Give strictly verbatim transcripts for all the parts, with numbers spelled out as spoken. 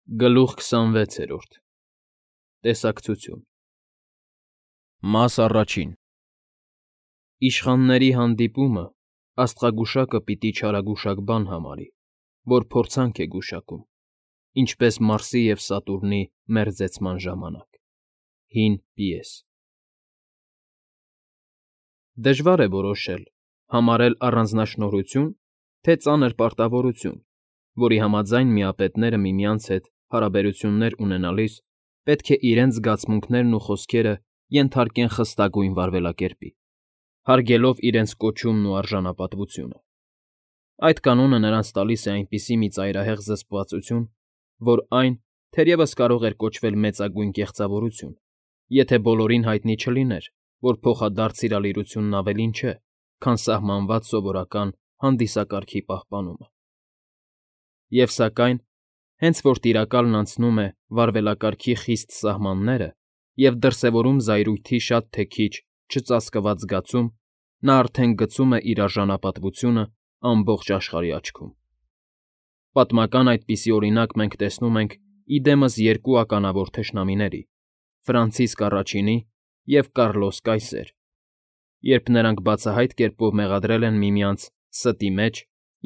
Գլուխ քսանվեցերորդ Տեսակցություն Մաս առաջին Իշխանների հանդիպումը աստղագուշակը պիտի չարագուշակ բան համարի, որ փորձանք է գուշակում, ինչպես Մարսի և Սատուրնի մերձեցման ժամանակ։ Հին պիես Դժվար է որոշել, համարել առանձնաշնորհություն, թե ծանր պարտավորություն, որի համաձայն միապետները միմյանց հետ հարաբերություններ ունենալիս պետք է իրենց զգացմունքներն ու խոսքերը ենթարկեն խստագույն վարվելակերպի, հարգելով իրենց կոչումն ու արժանապատվությունը։ Այդ կանոնը նրանց տալիս է այնպիսի մի ծայրահեղ զսպվածություն, որ այն թերևս կարող էր կոչվել մեծագույն կեղծավորություն, եթե բոլորին հայտնի չլիներ, որ փոխադարձ սիրալիրությունն ավելին չէ, քան սահմանված սովորական հանդիսակարգի պահպանումը։ Եվ սակայն, հենց որ տիրակալն անցնում է վարվելակարգի խիստ սահմանները և դրսևորում զայրույթի շատ թե քիչ չծածկված զգացում, նա արդեն գցում է իր արժանապատվությունը ամբողջ աշխարհի աչքում։ Պատմական այդպիսի օրինակ մենք տեսնում ենք ի դեմս երկու ականավոր թշնամիների՝ Ֆրանցիսկ առաջինի և Կառլոս կայսեր, երբ նրանք բացահայտ կերպով մեղադրել են միմյանց ստի մեջ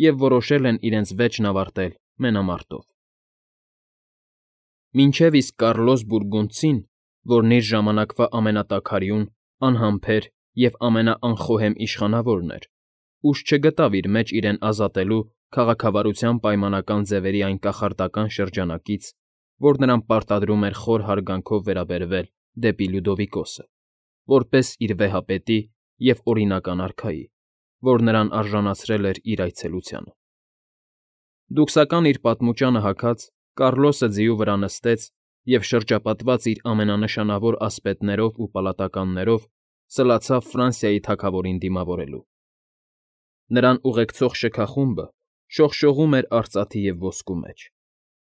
և որոշել են իրենց վեճն ավարտել մենամարտով։ Մինչև իսկ Կառլոս Բուրգունդցին, որն իր ժամանակվա ամենատաքարյուն, անհամբեր և ամենաանխոհեմ իշխանավորն էր, ուժ չգտավ իր մեջ իրեն ազատելու քաղաքավարության պայմանական ձևերի այն կախարդական շրջանակից, որ նրան պարտադրում էր խոր հարգանքով վերաբերվել դեպի Լյուդովիկոսը, որպես իր վեհապետի և օրինական արքայի, որ նրան արժանացրել էր իր այցելությանը։ Դուքսական իր պատմուճանը հագած՝ Կառլոսը ձիու վրա նստեց և, շրջապատված իր ամենանշանավոր ասպետներով ու պալատականներով, սլացավ Ֆրանսիայի թագավորին դիմավորելու։ Նրան ուղեկցող շքախումբը շողշողում էր արծաթի և ոսկու մեջ։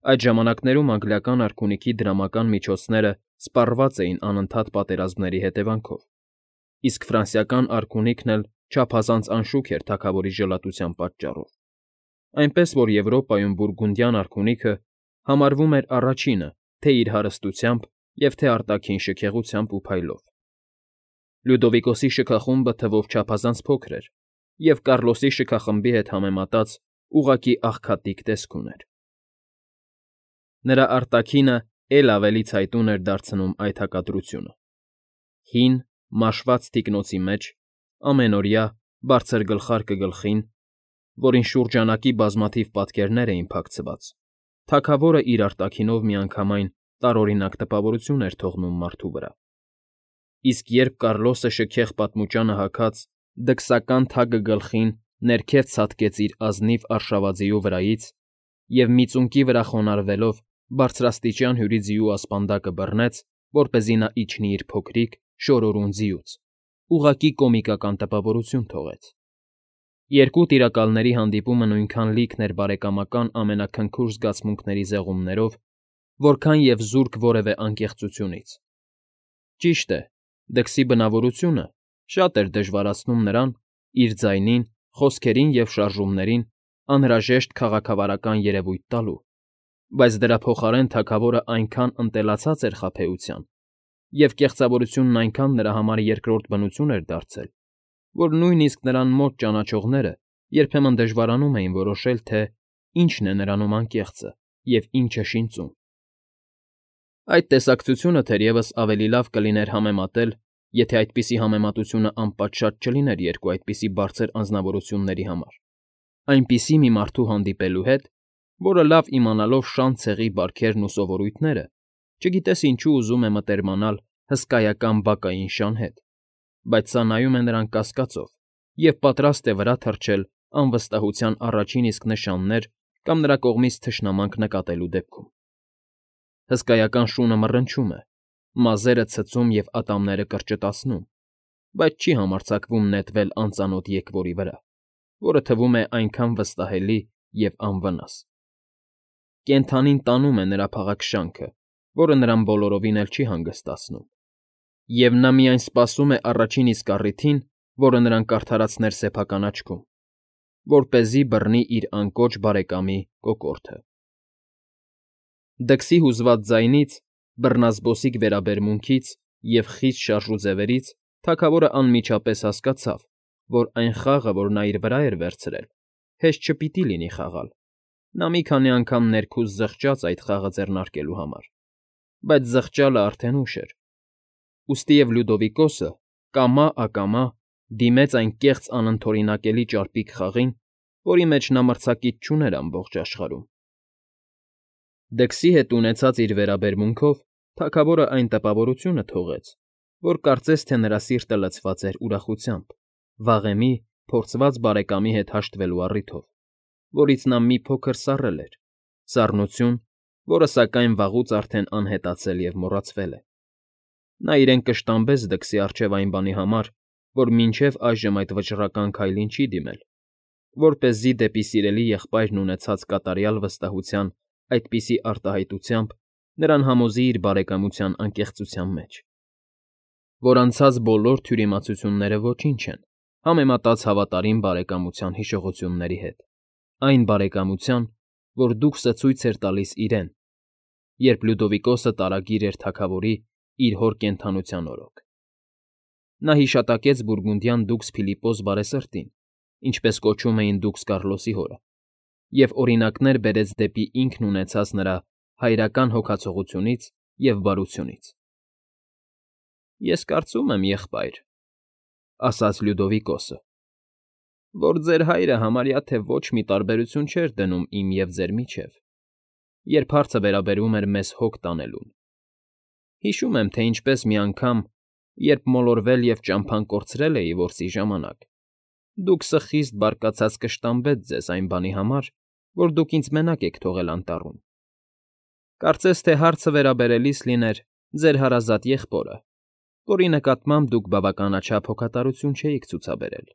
Այդ ժամանակներում անգլիական արքունիքի դրամական միջոցները սպառված էին անընդհատ պատերազմների հետևանքով, իսկ ֆրանսիական արքունիքն էլ չափազանց անշուք էր թագավորի ժլատության պատճառով, այնպես որ Եվրոպայում բուրգունդյան արքունիքը համարվում էր առաջինը թե՛ իր հարստությամբ և թե՛ արտաքին շքեղությամբ ու փայլով։ Լյուդովիկոսի շքախումբը թվով չափազանց փոքր էր և Կառլոսի շքախմբի հետ համեմատած ուղղակի աղքատիկ տեսք ուներ։ Նրա արտաքինը էլ ավելի ցայտուն էր դարձնում այդ հակադրությունը։ Հին, մաշված թիկնոցի մեջ, ամենօրյա, բարձր գլխարկը գլխին, որին շուրջանակի բազմաթիվ պատկերներ էին փակցված, թագավորը իր արտաքինով միանգամայն տարօրինակ տպավորություն էր թողնում մարդու վրա։ Իսկ երբ Կառլոսը շքեղ պատմուճանը հագած, դքսական թագը գլխին ներքև ցատկեց իր ազնիվ արշավաձիու վրայից և մի ծունկի վրա խոնարհվելով բարձրաստիճան հյուրի ձիու ասպանդակը բռնեց, որպեսզի նա իջնի իր փոքրիկ, շորորուն ձիուց, ուղղակի կոմիկական տպավորություն թողեց։ Երկու տիրակալների հանդիպումը նույնքան լիքն էր բարեկամական ամենաքնքուշ զգացմունքների զեղումներով, որքան և զուրկ որևէ անկեղծությունից։ Ճիշտ է, դքսի բնավորությունը շատ էր դժվարացնում նրան իր ձայնին, խոսքերին և շարժումներին անհրաժեշտ քաղաքավարական երևույթ տալու, բայց դրա փոխարեն թագավորը այնքան ընտելացած էր խաբեության, և կեղծավորությունն այնքան նրա համար երկրորդ բնություն էր դարձել, որ նույնիսկ նրան մոտ ճանաչողները երբեմն դժվարանում էին որոշել, թե ինչն է նրանում անկեղծը և ինչը շինծուն։ Այդ տեսակցությունը թերևս ավելի լավ կլիներ համեմատել, եթե այդպիսի համեմատությունը անպատշաճ չլիներ երկու այդպիսի բարձր անձնավորությունների համար, այնպիսի մի մարդու հանդիպելու հետ, որը լավ իմանալով շան ցեղի բարքերն ու սովորույթները, չգիտես ինչու ուզում է մտերմանալ հսկայական բակային շան հետ, բայց սա նայում է նրան կասկածով և պատրաստ է վրա թռչել անվստահության առաջին իսկ նշաններ կամ նրա կողմից թշնամանք նկատելու դեպքում։ Հսկայական շունը մռնչում է, մազերը ցցում և ատամները կրճտացնում, բայց չի համարձակվում նետվել անծանոթ եկվորի վրա, որը թվում է այնքան վստահելի և անվնաս։ Կենդանին տանում է նրա փաղաքշանքը, որը նրան բոլորովին էլ չի հանգստացնում, և նա միայն սպասում է առաջին իսկ առիթին, որը նրան կարդարացներ սեփական աչքում, որպեսզի բռնի իր անկոչ բարեկամի կոկորդը։ Դքսի հուզված ձայնից, բռնազբոսիկ վերաբերմունքից և խիստ շարժու ձևերից թագավորն անմիջապես հասկացավ, որ այն խաղը, որ նա իր վրա էր վերցրել, հեշտ չպիտի լինի խաղալ. նա մի քանի անգամ ներքուստ զղջաց այդ խաղը ձեռնարկելու համար, բայց զղջալը արդեն ուշ էր, ուստիև Լյուդովիկոսը կամա֊ակամա դիմեց այն կեղծ անընդօրինակելի ճարպիկ խաղին, որի մեջ նա մրցակից չուներ ամբողջ աշխարհում։ Դքսի հետ ունեցած իր վերաբերմունքով թագավորն այն տպավորությունը թողեց, որ կարծես թե նրա սիրտը լցված էր ուրախությամբ, վաղեմի, փորձված բարեկամի հետ հաշտվելու առիթով, որից նա մի փոքր սառել էր, սառնություն, որը սակայն վաղուց արդեն անհետացել և մոռացվել է։ Նա իրեն կշտամբեց դքսի առջև այն բանի համար, որ մինչև այժմ այդ վճռական քայլին չի դիմել, որպեսզի դեպի սիրելի եղբայրն ունեցած կատարյալ վստահության այդպիսի արտահայտությամբ նրան համոզի իր բարեկամության անկեղծության մեջ, որ անցած բոլոր թյուրիմացությունները ոչինչ են, համեմատած հավատարիմ բարեկամության հիշողությունների հետ, այն բարեկամության, որ դուքսը ցույց էր տալիս իրեն, երբ Լյուդովիկոսը տարագիր էր թագավորի իր հոր կենդանության օրոք։ Նա հիշատակեց բուրգունդյան դուքս Փիլիպպոս բարեսրտին, ինչպես կոչում էին դուքս Կառլոսի հորը, և օրինակներ բերեց դեպի ինքն ունեցած նրա հայրական հոգացողությունից և բարությունից։ «Ես կարծում եմ, եղբայր,֊ ասաց Լյուդովիկոսը,֊ որ ձեր հայրը համարյա թե ոչ մի տարբերություն չէր դնում իմ և ձեր միջև, երբ հարցը վերաբերում էր մեզ հոգ տանելուն։ Հիշում եմ, թե ինչպես մի անգամ, երբ մոլորվել և ճամփան կորցրել էի որսի ժամանակ, դուքսը խիստ բարկացած կշտամբեց ձեզ այն բանի համար, որ դուք ինձ մենակ եք թողել անտառում։ Կարծես թե հարցը վերաբերելիս լիներ ձեր հարազատ եղբորը, որի նկատմամբ դուք բավականաչափ հոգատարություն չէիք ցուցաբերել։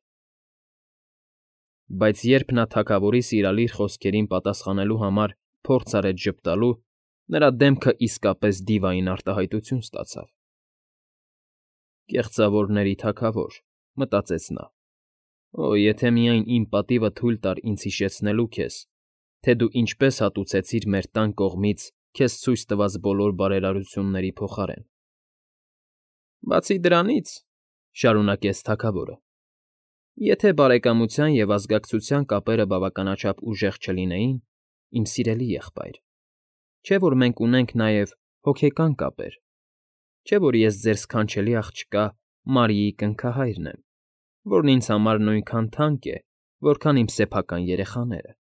Բայց երբ նա թագավորի սիրալիր խոսքերին պատասխանելու համար փորձ արեց ժպտալու, նրա դեմքը իսկապես դիվային արտահայտություն ստացավ։ «Կեղծավորների թագավոր,֊ մտածեց նա,֊ օ, եթե միայն իմ պատիվը թույլ տար ինձ հիշեցնելու քեզ, թե դու ինչպես հատուցեցիր մեր տան կողմից քեզ ցույց տված բոլոր բարերարությունների փոխարեն»։ «Բացի դրանից,֊ շարունակեց թագավորը,֊ եթե բարեկամության և ազգակցության կապերը բավականաչափ ուժեղ չլինեին, իմ սիրելի եղբայր, չէ՞ որ մենք ունենք նաև հոգեկան կապեր, չէ՞ որ ես ձեր սքանչելի աղջկա Մարիի կնքահայրն եմ, որն ինձ համար նույնքան թանկ է, որքան իմ սեփական երեխաները։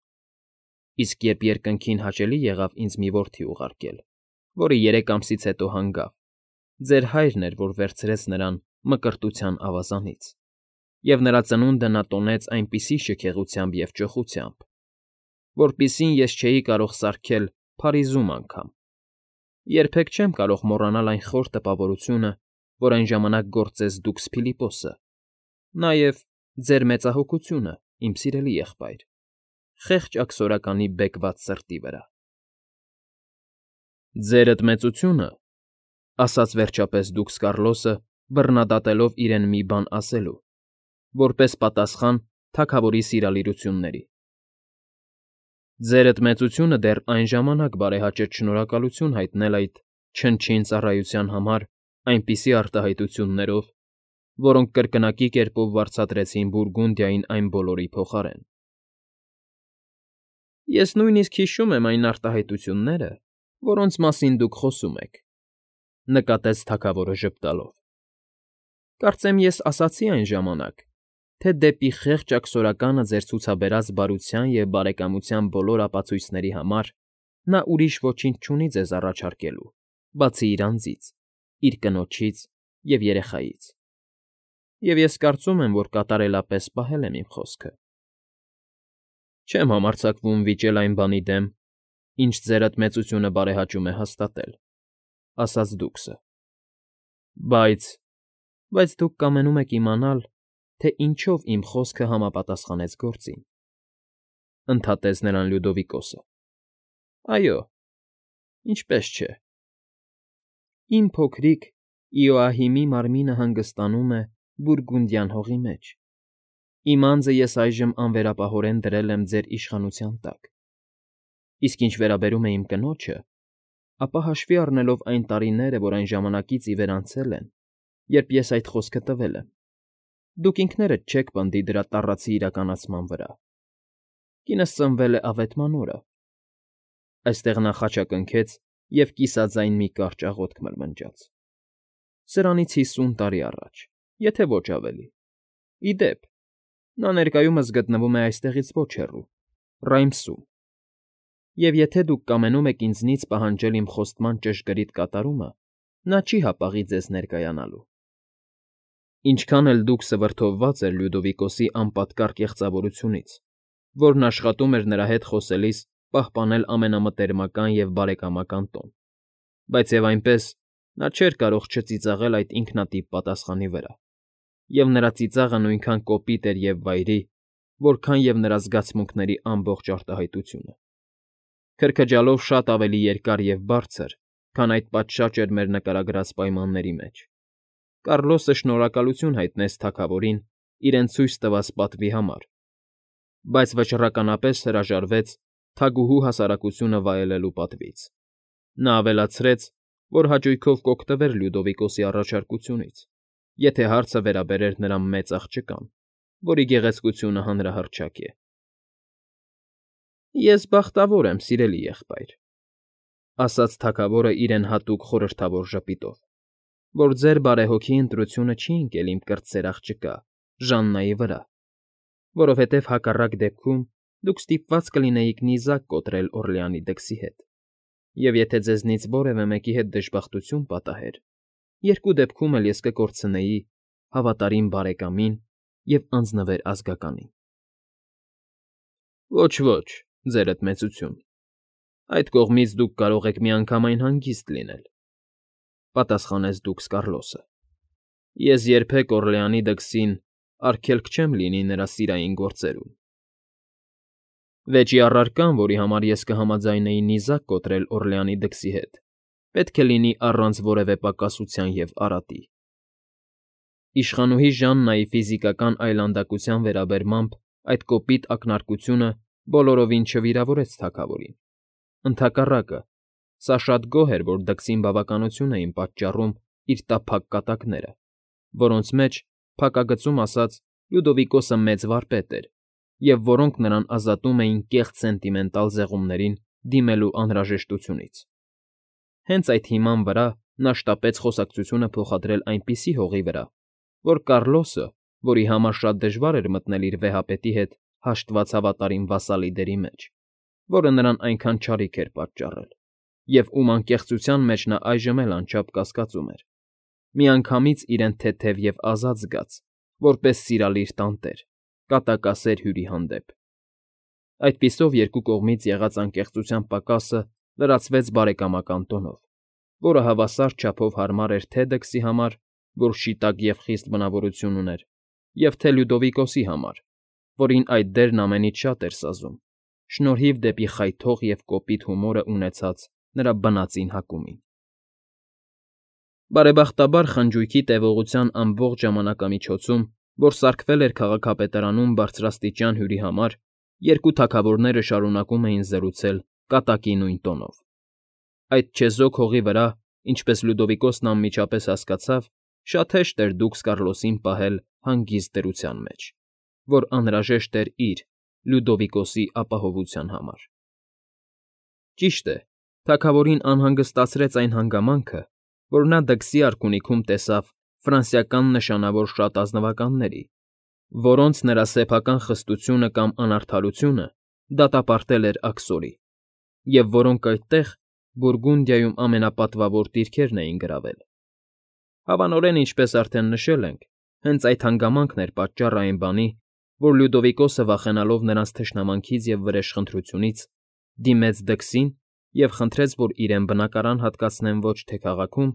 Իսկ երբ երկնքին հաճելի եղավ ինձ մի որդի ուղարկել, որը երեք ամսից հետո հանգավ, ձեր հայրն էր, որ վերցրեց նրան Մկրտության ավազանից, և նրա ծնունդը նա տոնեց այնպիսի շքեղությամբ և ճոխությամբ, որպիսին ես չէի կարող սարքել Փարիզում անգամ։ Երբեք չեմ կարող մոռանալ այն խոր տպավորությունը, որ այն ժամանակ գործեց դուքս Փիլիպպոսը, նաև ձեր մեծահոգությունը, իմ սիրելի եղբայր, խեղճ աքսորականի բեկված սրտի վրա»։ «Ձերդ մեծությունը,֊ ասաց վերջապես դուքս Կառլոսը, բռնադատելով իրեն մի բան ասելու, որպես պատասխան թագավորի սիրալիրությունների,֊ ձերդ մեծությունը դեռ այն ժամանակ բարեհաճեց շնորհակալություն հայտնել այդ չնչին ծառայության համար այնպիսի արտահայտություններով, որոնք կրկնակի կերպով վարձատրեցին Բուրգունդիային այն բոլորի փոխարեն։ Ես նույնիսկ հիշում եմ այն արտահայտությունները, որոնց մասին դուք խոսում եք,֊ նկատեց թագավորը ժպտալով։ Կարծեմ ես ասացի այն ժամանակ, թե դեպի խեղճ աքսորականը ձեր ցուցաբերած բարության և բարեկամության բոլոր ապացույցների համար նա ուրիշ ոչինչ չունի ձեզ առաջարկելու, բացի իր անձից, իր կնոջից և երեխայից, և ես կարծում եմ, որ կատարելապես պահել եմ իմ խոսքը։ Չեմ համարձակվում վիճել այն բանի դեմ, ինչ ձերդ մեծությունը բարեհաճում է հաստատել,֊ ասաց դուքսը։ Բայց… բայց դուք կամենում եք իմանալ, թե ինչով իմ խոսքը համապատասխանեց գործին,֊ ընդհատեց նրան Լյուդովիկոսը։ Այո, ինչպես չէ։ Իմ փոքրիկ Իոահիմի մարմինը հանգստանում է Բուրգունդյան հողի մեջ, իմ անձը ես այժմ անվերապահորեն դրել եմ ձեր իշխանության տակ, իսկ ինչ վերաբերում է իմ կնոջը, ապա հաշվի առնելով այն տարիները, որ այն ժամանակից ի վեր անցել են, երբ ես այդ խոսքը տվել եմ, դուք ինքներդ չեք պնդի դրա տառացի իրականացման վրա։ Կինս ծնվել է ավետման օրը։ Այստեղ նա խաչակնքեց և կիսաձայն մի կարճ աղոթք մրմնջաց։ Սրանից հիսուն տարի առաջ, եթե ոչ ավելի։ Ի դեպ, նա ներկայումս գտնվում է այստեղից ոչ հեռու, Ռայմսում, և եթե դուք կամենում եք ինձնից պահանջել իմ խոստման ճշգրիտ կատարումը, նա չի հապաղի ձեզ ներկայանալու։ Ինչքան էլ դուք սվրդովված էր Լյուդովիկոսի անպատկառ կեղծավորությունից, որն աշխատում էր նրա հետ խոսելիս պահպանել ամենամտերմական և բարեկամական տոն, բայց և այնպես նա չէր կարող չծիծաղել այդ ինքնատիպ պատասխանի վրա, և նրա ծիծաղը նույնքան կոպիտ էր և վայրի, որքան և նրա զգացմունքների ամբողջ արտահայտությունը։ Քրքջալով շատ ավելի երկար և բարձր, քան այդ պատշաճ էր մեր նկարագրած պայմանների մեջ, Կառլոսը շնորհակալություն հայտնեց թագավորին իրեն ցույց տված պատվի համար, բայց վճռականապես հրաժարվեց թագուհու հասարակությունը վայելելու պատվից։ Նա ավելացրեց, որ հաճույքով կօգտվեր Լյուդովիկոսի առաջարկությունից, եթե հարցը վերաբերեր նրա մեծ աղջկան, որի գեղեցկությունը հանրահռչակ է։ Ես բախտավոր եմ, սիրելի եղբայր, ասաց թագավորը իրեն հատուկ խորհրդավոր ժպիտով, որ ձեր բարեհոգի ընտրությունը չի ընկել իմ կրտսեր աղջկա Ժաննայի վրա, որովհետև հակառակ դեպքում դուք ստիպված կլինեիք նիզակ կոտրել Օրլեանի դքսի հետ, և եթե ձեզնից որևէ մեկի հետ դժբախտություն պատահեր, երկու դեպքում էլ ես կկորցնեի հավատարիմ բարեկամին և անձնվեր ազգականին։ Ոչ, ոչ, ձերդ մեծություն, այդ կողմից դուք կարող եք միանգամայն հանգիստ լինել, պատասխանեց դուքս Կառլոսը։ Ես երբեք Օրլեանի դքսին արգելք չեմ լինի նրա սիրային գործերում։ Վեճի առարկան, որի համար ես կհամաձայնեի նիզակ կոտրել Օրլեանի դքսի հետ, պետք է լինի առանց որևէ պակասության և արատի։ Իշխանուհի Ժաննայի ֆիզիկական այլանդակության վերաբերմամբ այդ կոպիտ ակնարկությունը բոլորովին չվիրավորեց թագավորին։ Ընդհակառակը, սա շատ գոհ էր, որ դքսին բավականություն էին պատճառում իր տափակ կատակները, որոնց մեջ, փակագծում ասած, Լյուդովիկոսը մեծ վարպետ էր, և որոնք նրան ազատում էին կեղծ սենտիմենտալ զեղումներին դիմելու անհրաժեշտությունից։ Հենց այդ հիման վրա նա շտապեց խոսակցությունը փոխադրել այնպիսի հողի վրա, որ Կառլոսը, որի համար շատ դժվար էր մտնել իր վեհապետի հետ հաշտված հավատարիմ վասալի դերի մեջ, որը նրան այնքան չարիք էր պատճառել, և ում անկեղծության մեջ նա այժմ էլ անչափ կասկածում էր, միանգամից իրեն թեթև և ազատ զգաց, որպես սիրալիր տանտեր, կատակասեր հյուրի հանդեպ։ Այդպիսով երկու կողմից եղած անկեղծության պակասը լրացվեց բարեկամական տոնով, որը հավասար չափով հարմար էր թե դքսի համար, որ շիտակ և խիստ բնավորություն ուներ, և թե Լյուդովիկոսի համար, որին այդ դերն ամենից շատ էր սազում, շնորհիվ դեպի խայթող և կոպիտ հումորը ունեցած նրա բնածին հակումին։ Բարեբախտաբար խնջույքի տևողության ամբողջ ժամանակամիջոցում, որ սարքվել էր քաղաքապետարանում բարձրաստիճան հյուրի համար, երկու թագավորները շարունակում էին զրուցել կատակի նույն տոնով։ Այդ չեզոք հողի վրա, ինչպես Լյուդովիկոսն անմիջապես հասկացավ, շատ հեշտ էր դուքս Կառլոսին պահել հանգիստ դրության մեջ, որ անհրաժեշտ էր իր՝ Լյուդովիկոսի ապահովության համար։ Ճիշտ է, թագավորին անհանգստացրեց այն հանգամանքը, որ նա դքսի արքունիքում տեսավ ֆրանսիական նշանավոր շատ ազնվականների, որոնց նրա սեփական խստությունը կամ անարդարությունը դատապարտել էր աքսորի, և որոնք այդտեղ, Բուրգունդիայում ամենապատվավոր դիրքերն էին գրավել։ Հավանորեն, ինչպես արդեն նշել ենք, հենց այդ հանգամանքն էր պատճառը այն բանի, որ Լյուդովիկոսը, վախենալով նրանց թշնամանքից և վրեժխնդրությունից, դիմեց դքսին և խնդրեց, որ իրեն բնակարան հատկացնեն ոչ թե քաղաքում,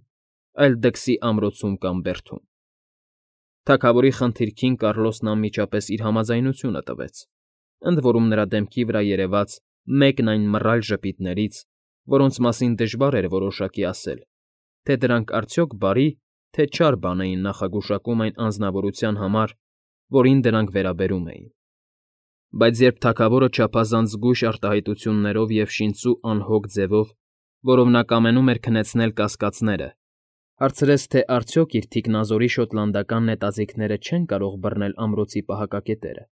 այլ դքսի ամրոցում կամ բերդում։ Թագավորի խնդիրքին Կառլոսն անմիջապես իր համաձայնությունը տվեց, ընդ որում նրա դեմքի վրա երևաց մեկն այն մռայլ ժպիտներից, որոնց մասին դժվար էր որոշակի ասել, թե դրանք արդյոք բարի, թե չար բան էին նախագուշակում այն անձնավորության համար, որին դրանք վերաբերում էին։ Բայց երբ թագավորը չափազանց զգույշ արտահայտություններով և շինծու անհոգ ձևով որով նա կամենում էր քնեցնել կասկածները, հարցրեց, թե արդյոք իր թիկնազորի շոտլանդական նետաձիգները չեն կարող բռնել ամրոցի պահակակետերը,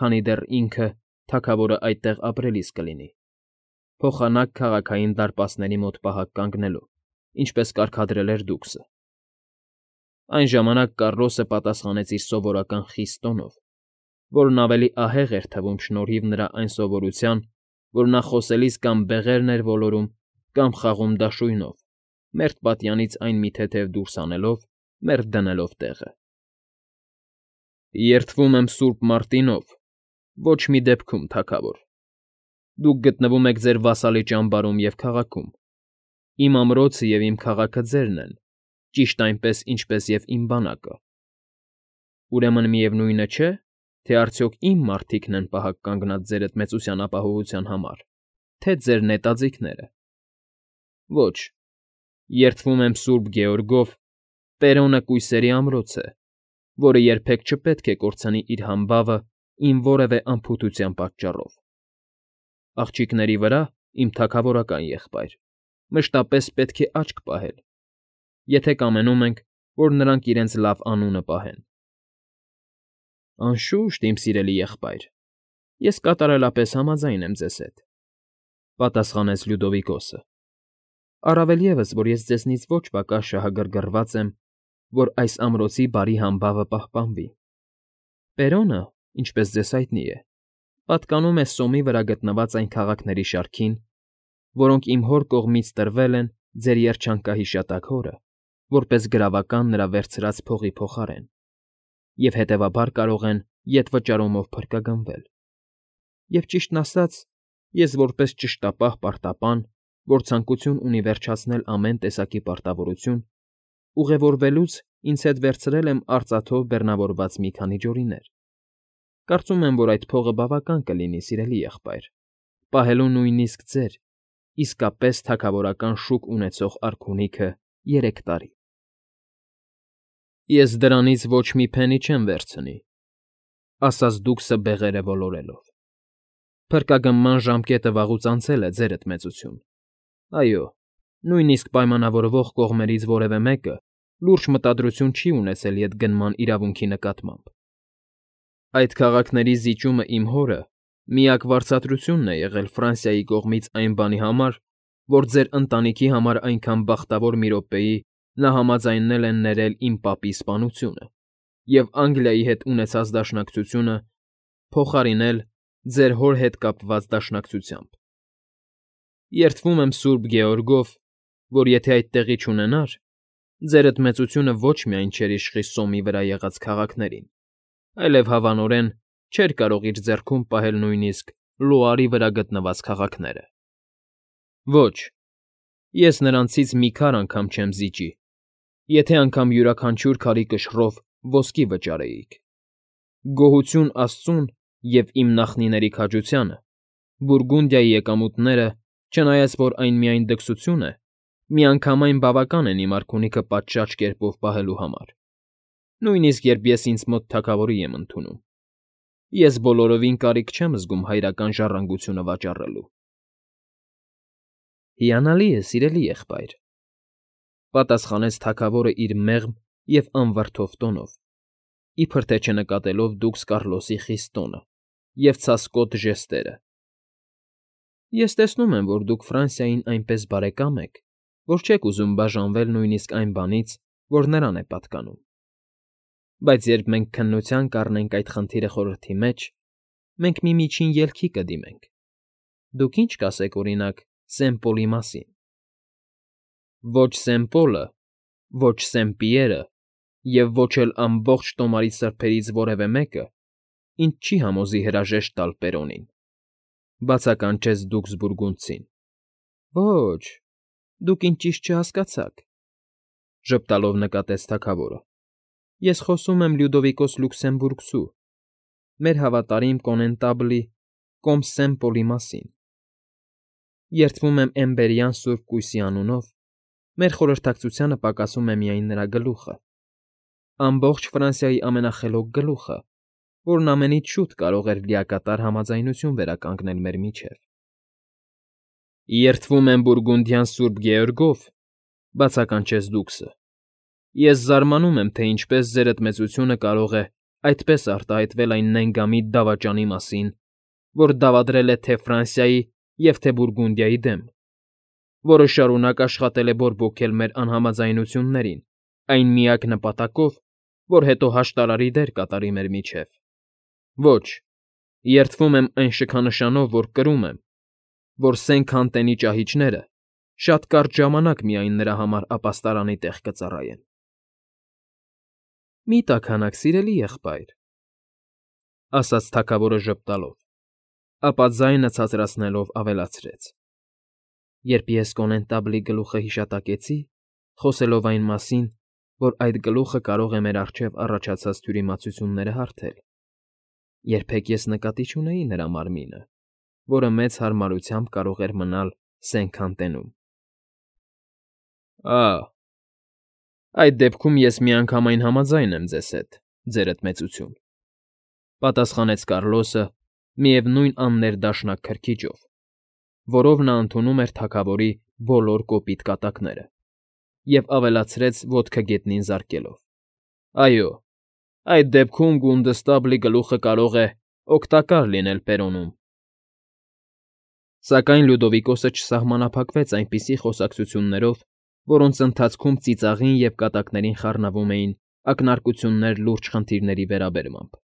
քանի դեռ ինքը, թագավորը, այդտեղ ապրելիս կլինի, փոխանակ քաղաքային դարպասների մոտ պահակ կանգնելու, ինչպես կարգադրել էր դուքսը։ Այն ժամանակ Կառլոսը պատասխանեց իր սովորական խիստ տոնով, որն ավելի ահեղ էր թվում շնորհիվ նրա այն սովորության, որ նա խոսելիս կամ բեղերն էր ոլորում, կամ խաղում դաշույնով, մերթ պատյանից այն մի թեթև դուրս հանելով, մերթ դնելով տեղը։ Երդվում եմ Սուրբ Մարտինով, ոչ մի դեպքում, թագավոր։ Դուք գտնվում եք ձեր վասալի ճամբարում և քաղաքում։ Իմ ամրոցը և իմ քաղաքը ձերն են, ճիշտ այնպես, ինչպես և իմ բանակը։ Ուրեմն միևնույնը չէ, թե արդյոք իմ մարդիկն են պահակ կանգնած ձեր մեծության ապահովության համար, թե ձեր նետաձիգները։ Ոչ, երդվում եմ Սուրբ Գեորգով, Պերոնը կույսերի ամրոց է, որը երբեք չպետք է կորցնի իր համբավը իմ որևէ անփութության պատճառով։ Աղջիկների վրա, իմ թագավորական եղբայր, մշտապես պետք է աչք պահել, եթե կամենում ենք, որ նրանք իրենց լավ անունը պահեն։ Անշուշտ, իմ սիրելի եղբայր, ես կատարելապես համաձայն եմ ձեզ հետ,֊ պատասխանեց Լյուդովիկոսը,֊ առավել ևս, որ ես ձեզնից ոչ պակաս շահագրգռված եմ, որ այս ամրոցի բարի համբավը պահպանվի։ Պերոնը, ինչպես ձեզ հայտնի է, պատկանում է Սոմի վրա գտնված այն քաղաքների շարքին, որոնք իմ հոր կողմից տրվել են ձեր երջանկահիշատակ հորը, որպես գրավական նրա վերցրած փողի փոխարեն, և հետևաբար կարող են ետվճարումով փրկագնվել։ Եվ ճիշտն ասած, ես որպես ճշտապահ պարտապան, որ ցանկություն ունի վերջացնել ամեն տեսակի պարտավորություն, ուղևորվելուց ինձ հետ վերցրել եմ արծաթով բեռնավորված մի քանի ջորիներ։ Կարծում եմ, որ այդ փողը բավական կլինի, սիրելի եղբայր, պահելու նույնիսկ ձեր, իսկապես թագավորական շուք ունեցող արքունիքը երեք տարի։ Ես դրանից ոչ մի փենի չեմ վերցնի,֊ ասաց դուքսը բեղերը ոլորելով։ Փրկագնման ժամկետը վաղուց անցել է, ձերդ մեծություն։ Այո, նույնիսկ պայմանավորվող կողմերից որևէ մեկը լուրջ մտադրություն չի ունեցել ետգնման իրավունքի նկատմամբ։ Այդ քաղաքների զիջումը իմ հորը միակ վարձատրությունն է եղել Ֆրանսիայի կողմից այն բանի համար, որ ձեր ընտանիքի համար այնքան բախտավոր մի րոպեի նա համաձայնել է ներել իմ պապի սպանությունը և Անգլիայի հետ ունեցած դաշնակցությունը փոխարինել ձեր հոր հետ կապված դաշնակցությամբ։ Երդվում եմ Սուրբ Գեորգով, որ եթե այդ տեղի չունենար, ձերդ մեծությունը ոչ միայն չէր իշխի Սոմի վրա եղած քաղաքներին, այլև հավանորեն չէր կարող իր ձեռքում պահել նույնիսկ Լուարի վրա գտնված քաղաքները։ Ոչ, ես նրանցից մի քար անգամ չեմ զիջի, եթե անգամ յուրաքանչյուր քարի կշռով ոսկի վճարեիք։ Գոհություն աստծուն և իմ նախնիների քաջությանը, Բուրգունդիայի եկամուտները, չնայած որ այն միայն դքսություն է, միանգամայն բավական են իմ արքունիքը պատշաճ կերպով պահելու համար, նույնիսկ երբ ես ինձ մոտ թագավորի եմ ընդունում։ Ես բոլորովին կարիք չեմ զգում հայրական ժառանգությունը վաճառելու։ Հիանալի է, սիրելի եղբայր,֊ պատասխանեց թագավորը իր մեղմ և անվրդով տոնով, իբր թե չնկատելով դուքս Կառլոսի խիստ տոնը և ցասկոտ ժեստերը։ Ես տեսնում եմ, որ դուք Ֆրանսիային այնպես բարեկամ եք, որ չեք ուզում բաժանվել նույնիսկ այն բանից, որ նրան է պատկանում։ Բայց երբ մենք քննության կառնենք այդ խնդիրը խորհրդի մեջ, մենք մի միջին ելքի կդիմենք։ Դուք ի՞նչ կասեք, օրինակ, Սեն֊Պոլի մասին։ Ոչ Սեն֊Պոլը, ոչ Սեն֊Պիերը և ոչ էլ ամբողջ տոմարի սրբերից որևէ մեկը ինձ չի համոզի հրաժեշտ տալ Պերոնին,֊ բացականչեց դուքս Բուրգունդցին։ Ոչ, դուք ինձ ճիշտ չհասկացաք,֊ ժպտալով նկատեց թագավորը։ Ես խոսում եմ Լյուդովիկոս Լյուքսեմբուրգցու, մեր հավատարիմ կոնետաբլի կոմս Սեն֊Պոլի մասին։ Երդվում եմ Էմբերյան սուրբ կույսի անունով, մեր խորհրդակցությանը պակասում է միայն նրա գլուխը, ամբողջ Ֆրանսիայի ամենախելոք գլուխը, որն ամենից շուտ կարող էր լիակատար համաձայնություն վերականգնել մեր միջև։ Երդվում եմ Բուրգունդյան Սուրբ Գեորգով,֊ բացականչեց դուքսը։֊ Ես զարմանում եմ, թե ինչպես ձերդ մեծությունը կարող է այդպես արտահայտվել այն նենգամիտ դավաճանի մասին, որ դավադրել է թե՛ Ֆրանսիայի և թե՛ Բուրգունդիայի դեմ, որը շարունակ աշխատել է բորբոքել մեր անհամաձայնություններին այն միակ նպատակով, որ հետո հաշտարարի դեր կատարի մեր միջև. Ոչ, երդվում եմ այն շքանշանով, որ կրում եմ, որ Սենքանտենի ճահիճները շատ կարճ ժամանակ միայն նրա համար ապաստարանի տեղ կծառայեն։ ֊ Մի՛ տաքանաք, սիրելի եղբայր,֊ ասաց թագավորը ժպտալով, ապա ձայնը ցածրացնելով ավելացրեց։֊ Երբ ես կոնետաբլի գլուխը հիշատակեցի, խոսելով այն մասին, որ այդ գլուխը կարող է մեր առջև առաջացած թյուրիմացությունները հարթել, երբեք ես նկատի չունեի նրա մարմինը, որը մեծ հարմարությամբ կարող էր մնալ Սենքանտենում։ ֊ Ա՜, այդ դեպքում ես միանգամայն համաձայն եմ ձեզ հետ, ձերդ մեծություն,֊ պատասխանեց Կարլոսը միևնույն աններդաշնակ քրքիջով, որով նա ընդունում էր թագավորի բոլոր կոպիտ կատակները, և ավելացրեց ոտքը գետնին զարկելով. Այո, այդ դեպքում Գունդստաբլի գլուխը կարող է օգտակար լինել Պերոնում։ Սակայն Լյուդովիկոսը չսահմանափակվեց այնպիսի խոսակցություններով, որոնց ընթացքում ծիծաղին և կատակներին խառնվում էին ակնարկություններ լուրջ խնդիրների վերաբերմամբ։